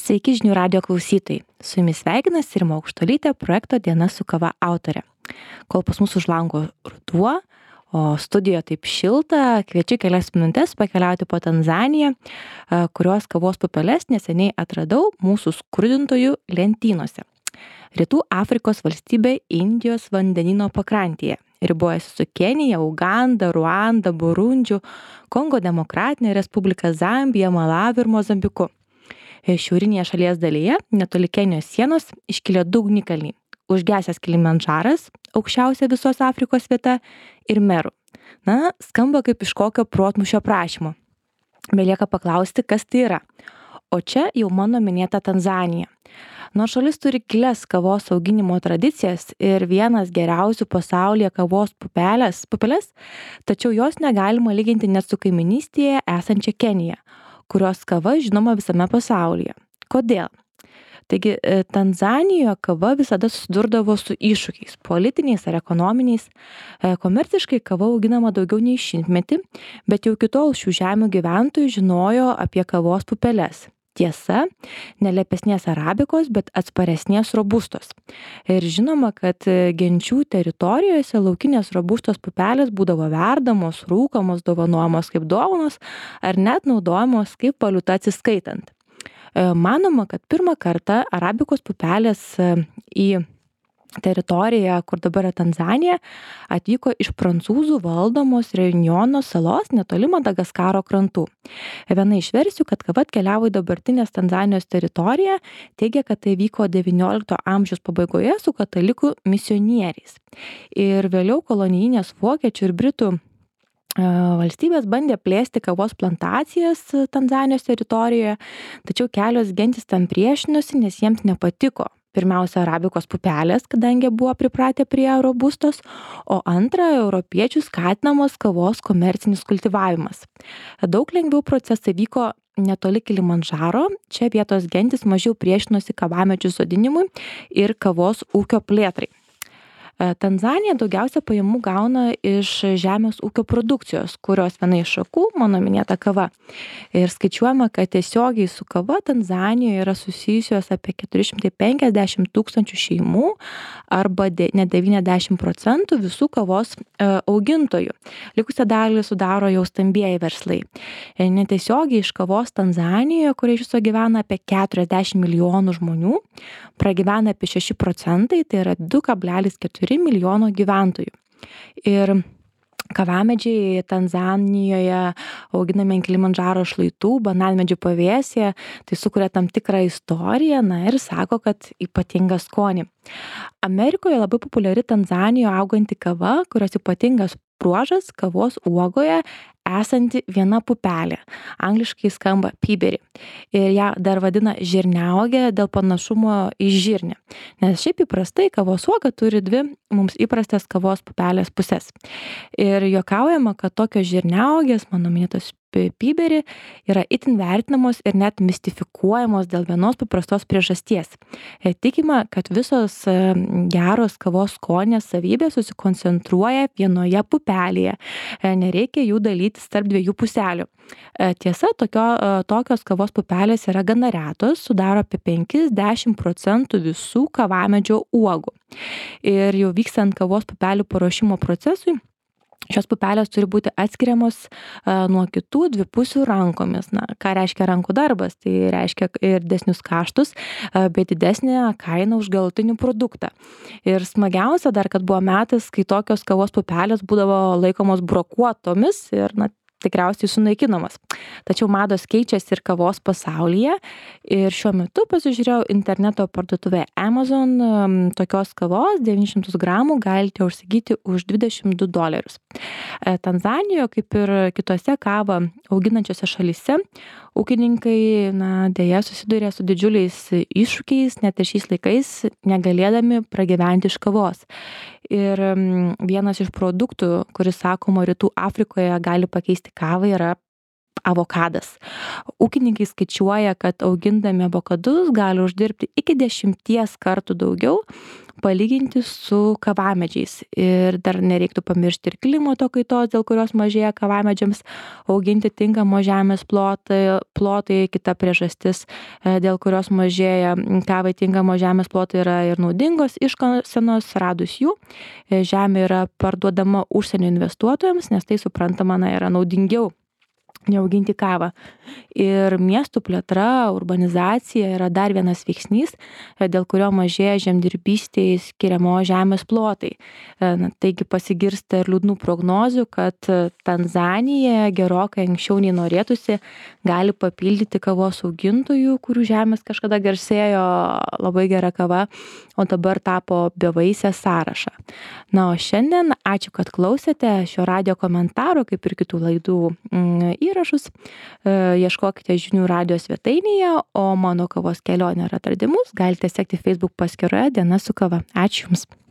Sveiki žinių radijo klausytojai. Su jumis sveikinasi Rima Aukštuolytė, projekto Diena su kava autorė. Kol pas mus už lango ruduo, o studijoje taip šilta, kviečiu kelias minutės pakeliauti po Tanzaniją, kurios kavos pupeles neseniai atradau mūsų skrudintojų lentynose. Rytų Afrikos valstybė Indijos vandenyno pakrantėje. Ribojasi su Kenija, Uganda, Ruanda, Burundžiu, Kongo Demokratinė Respublika, Zambija, Malaviu ir Mozambiku. Šiaurinėje šalies dalyje, netoli Kenijos sienos, iškilę du ugnikalniai. Užgesęs Kilimandžaras, aukščiausia visos Afrikos vieta, ir Meru. Skamba kaip iš kokio protmūšio prašymo. Belieka paklausti, kas tai yra. O čia jau mano minėta Tanzanija. Nors šalis turi gilias kavos auginimo tradicijas ir vienas geriausių pasaulyje kavos pupeles, tačiau jos negalima lyginti net su kaiminystėje esančia Kenija, kurios kava žinoma visame pasaulyje. Kodėl? Taigi, Tanzanijoje kava visada susidurdavo su iššūkiais, politiniais ar ekonominiais. Komerciškai kava auginama daugiau nei 100 metų, bet jau iki tol šių žemių gyventojų žinojo apie kavos pupeles. Tiesa, nelepesnės arabikos, bet atsparesnės robustos. Ir žinoma, kad genčių teritorijose laukinės robustos pupelės būdavo verdamos, rūkomos, dovanojamos kaip dovanos ar net naudojamos kaip valiuta atsiskaitant. Manoma, kad pirmą kartą arabikos pupelės į teritoriją, kur dabar yra Tanzanija, atvyko iš prancūzų valdomos Reunjono salos netoli Madagaskaro krantų. Viena iš versijų, kad kava atkeliavo į dabartinės Tanzanijos teritoriją, teigia, kad tai vyko XIX amžiaus pabaigoje su katalikų misionieriais. Ir vėliau kolonijinės vokiečių ir britų valstybės bandė plėsti kavos plantacijas Tanzanijos teritorijoje, tačiau kelios gentys tam priešinosi, nes jiems nepatiko. Pirmiausia, arabikos pupelės, kadangi buvo pripratę prie robustos, o antra, europiečių skatinamos kavos komercinis kultivavimas. Daug lengviau procesai vyko netoli Kilimandžaro, čia vietos gentys mažiau priešinosi kavamedžių sodinimui ir kavos ūkio plėtrai. Tanzanija daugiausia pajamų gauna iš žemės ūkio produkcijos, kurios viena iš šakų, mano minėta kava. Ir skaičiuojama, kad tiesiogiai su kava Tanzanijoje yra susijusios apie 450 000 šeimų arba net 90% visų kavos augintojų. Likusią dalį sudaro jau stambieji verslai. Netiesiogiai iš kavos Tanzanijoje, kurie iš viso gyvena apie 40 milijonų žmonių, pragyvena apie 6%, tai yra 2,4 milijono gyventojų. Ir kavamedžiai Tanzanijoje auginami ant Kilimandžaro šlaitų, bananmedžių pavėsyje, tai sukuria tam tikrą istoriją, ir sako, kad ypatingą skonį. Amerikoje labai populiari Tanzanijoje auganti kava, kurios ypatingas bruožas kavos uogoje esanti viena pupelė. Angliškai skamba piberį. Ir ją dar vadina žirniauogė dėl panašumo į žirnį. Nes šiaip įprastai kavos uoga turi dvi mums įprastas kavos pupelės pusės. Ir juokaujama, kad tokios žirniaugės, mano minėtos piberį, yra itin vertinamos ir net mistifikuojamos dėl vienos paprastos priežasties. Tikima, kad visos geros kavos skonės savybės susikoncentruoja vienoje pupelėje. Nereikia jų dalytis tarp dviejų puselių. Tiesa, tokios kavos pupelės yra gana retos, sudaro apie 5-10% visų kavamedžio uogų. Ir jau vykstant kavos pupelių paruošimo procesui, šios pupelės turi būti atskiriamos nuo kitų dvipusių rankomis. Ką reiškia rankų darbas? Tai reiškia ir didesnius kaštus, bet didesnė kaina už galutinį produktą. Ir smagiausia dar, kad buvo metas, kai tokios kavos pupelės būdavo laikomos brokuotomis ir tikriausiai sunaikinamas. Tačiau mados keičiasi ir kavos pasaulyje. Ir šiuo metu pasižiūrėjau interneto parduotuvėje Amazon, tokios kavos 900 gramų galite užsigyti už $22. Tanzanijoje, kaip ir kitose kavą auginančiose šalyse, ūkininkai deja susiduria su didžiuliais iššūkiais, net ir šiais laikais negalėdami pragyventi iš kavos. Ir vienas iš produktų, kuris sakoma Rytų Afrikoje gali pakeisti kavą, yra avokadas. Ūkininkai skaičiuoja, kad augindami avokadus gali uždirbti iki 10 kartų daugiau palyginti su kavamedžiais. Ir dar nereiktų pamiršti ir klimato kaitos, dėl kurios mažėja kavamedžiams auginti tinkamo žemės plotai. Kita priežastis, dėl kurios mažėja kavai tinkamo žemės plotai, yra ir naudingos iškasenos. Radus jų, žemė yra parduodama užsienio investuotojams, nes tai suprantama, yra naudingiau neauginti kavą. Ir miestų plėtra, urbanizacija yra dar vienas veiksnys, dėl kurio mažėja žemdirbystėje skiriamo žemės plotai. Taigi pasigirsta ir liūdnų prognozių, kad Tanzanija gerokai anksčiau nei norėtųsi gali papildyti kavos augintojų, kurių žemės kažkada garsėjo labai gera kava, o dabar tapo bevaisė sąrašą. O šiandien ačiū, kad klausėte šio radijo komentaro, kaip ir kitų laidų įrašus. Ieškokite žinių radijo svetainėje, o mano kavos kelionę ir atradimus galite sekti Facebook paskyroje Diena su kava. Ačiū Jums.